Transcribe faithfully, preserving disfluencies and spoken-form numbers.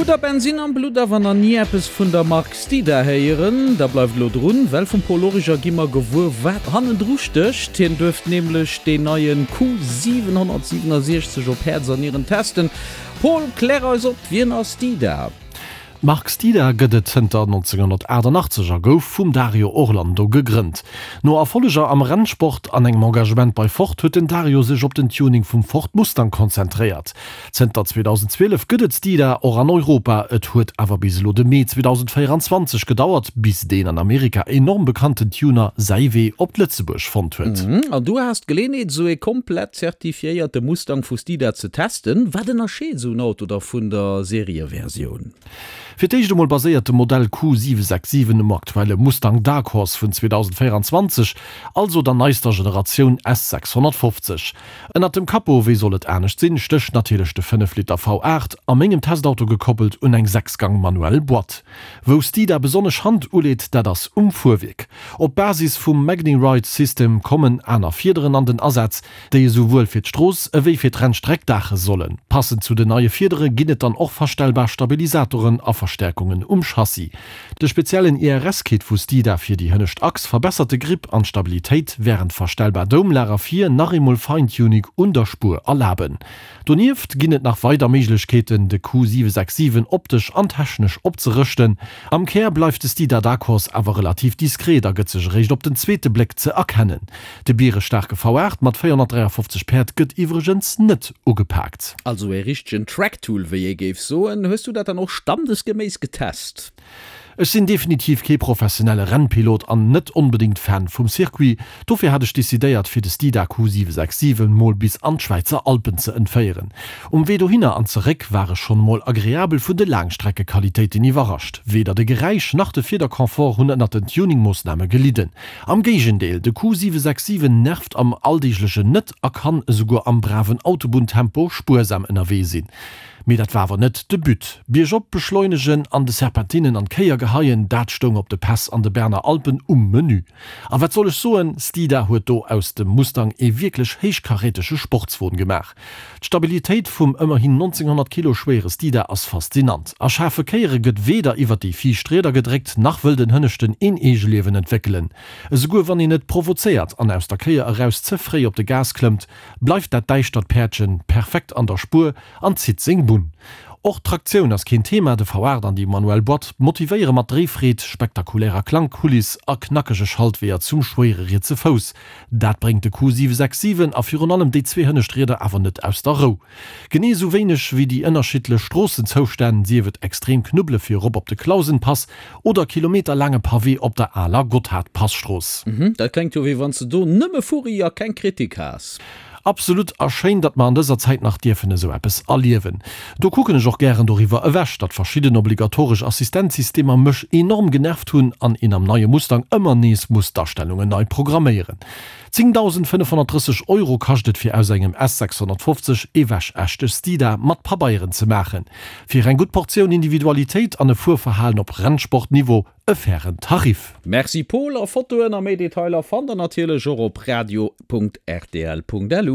Hutt der Bensinn am Blutt awer nach ni eppes vun der Mark Steeda héieren? Da bleift elo drun, well vum Paul Origer gi mer gewuer, wat hannendru stécht. Hien duerft nämlech deen neien Q siwenhonnertsiwenundsechzeg op Häerz an Nieren testen. Paul, klär eis op, wien ass Steeda? D'Mark Steeda gëtt et zënter nonzénghonnertaachtenachtzeg a gouf vum Dario Orlando gegrënnt. No Erfolleger am Rennsport an engem Engagement bei Ford huet den Dario sech op den Tuning vum Ford Mustang konzentréiert. Zënter zweedausendzwielef gëtt et Steeda och an Europa, et huet awer bis elo de Mee zweedausendvéieranzwanzeg gedauert, bis deen an Amerika enorm bekannten Tuner säi Wee op Lëtzebuerg fonnt huet. An du has d'Geleeënheet, esou ee komplett zertifiéierte Mustang vu Steeda ze testen. Wat ënnerscheet esou en Auto da vun der Serieversioun? Fir d'éischt emol baséiert de Modell Q siwe sechs siwen um aktuelle Mustang Dark Horse vun zweedausendvéieranzwanzeg, also der neister Generatioun S sechshonnertfofzeg. Ënnert dem Capot, wéi soll et anescht sinn, stécht natierlech de fënnef Liter V aacht, a mengem Testauto gekoppelt un eng sechs-Gang manuell Boîte. Wou Steeda besonnesch Hand uleet, dat ass um Fuerwierk. Op Basis vum MagneRide System kommen aner Fiederen an den Asaz, déi esouwuel fir d'Strooss ewéi fir d'Rennstreck daache sollen. Passend zu den neie Fiedere ginn et dann och verstellbar Stabilisatoren a Verstäerkungen um Chassis. De speziellen I R S-Kit vu Steeda fir déi hënnescht Achs verbessert de Grip an d'Stabilitéit, wärend verstellbar Doumlager vir nach eemol Feintuning un der Spuer erlaben. Donieft ginn et nach weider Méiglechkeeten, de Q siwe sechs siwen optesch an technesch opzerëschten. Am Kär bleift de Steeda Dark Horse awer relativ diskret a gëtt sech eréischt op den zweete Bléck ze erkennen. De bierestaarke V aacht mat véierhonnertdräiafofzeg Päerd gëtt iwwregens net ugepaakt. Also ee richtegen Tracktool, wéi ee géif soen. Hues du dat dann och standesgeméiss getest? Ech sinn definitiv kee professionelle Rennpilot an net onbedéngt Fan vum Circuit. Dofir hat ech decidéiert fir de Steeda Q siwe sechs siwen mol bis an d'Schwäizer Alpen ze entféieren. Um Wee dohinner an zeréck war ech schonn mol agreabel vun de Laangstreckequalitéiten iwwerrascht. Weder de Geräisch nach de Fiederconfort hunn ënnert den Tuningmoossname gelidden. Am Géigendeel, de Q siwe sechs siwen nervt am Alldeeglechen net a kann esouguer am braven Autobunntempo spuersam ënnerwee sinn. Mee dat war awer net de But. Biergop beschleunegen an de Serpentinen an d'Kéier geheien, dat stoung op de Päss an de Berner Alpen um Menü. A wat soll ech soen, Steeda huet do aus dem Mustang ee wierklech héichkarätege Sportswon gemaach. D'Stabilitéit vum ëmmerhin nonzénghonnert Kilo schwéiere Steeda ass faszinant. A schaarfe Kéiere gëtt weder iwwer déi viischt Rieder gedréckt, nach wëll den Hënneschten een Eegeliewen entwéckelen. Esouguer wann een et provozéiert an aus der Kéier eraus ze fréi op de Gas klëmmt, bleift dat däischtert Päerdchen perfekt an der Spuer an zitt seng Bunn. Och d'Traktioun ass keen Thema, de V aacht an déi manuell Boîte motivéiere mat Dréifreed, spektakulärer Klangkuliss a knackege Schaltweeër zum schwéiere rietse Fouss. Dat bréngt de Q siwe sechs siwen a virun allem déi zwee hënnescht Rieder awer net aus der Rou. Genee esou wéineg wéi déi ënnerschiddlech Stroossenzoustänn, sief et extrem Knubbele fir erop op de Klausenpass oder kilometerlaange Pavé op der aler Gotthardpasstrooss. Dat klengt jo wéi wann s de do nëmme Furri a keng Kritik has. Absolut, a schéin, datt mer an dëser Zäit nach dierfen esou eppes erliewen. Do kucken ech och gären doriwwer ewech, datt verschidden obligatoresch Assistenzsystemer mech enorm genervt hunn an een am neie Mustang ëmmer nees muss d'Astellungen nei programméieren. zéngdausendfënnefhonnertdrësseg Euro kascht et fir aus engem S sechshonnertfofzeg ee wäschechte Steeda mat Pabeieren ze maachen. Fir eng gutt Portioun Individualitéit an e Fuerverhalen op Rennsportniveau e fairen Tarif. Merci Paul, a Fotoen a méi Detailer fannt der natierlech och op radio punkt rtl punkt lu.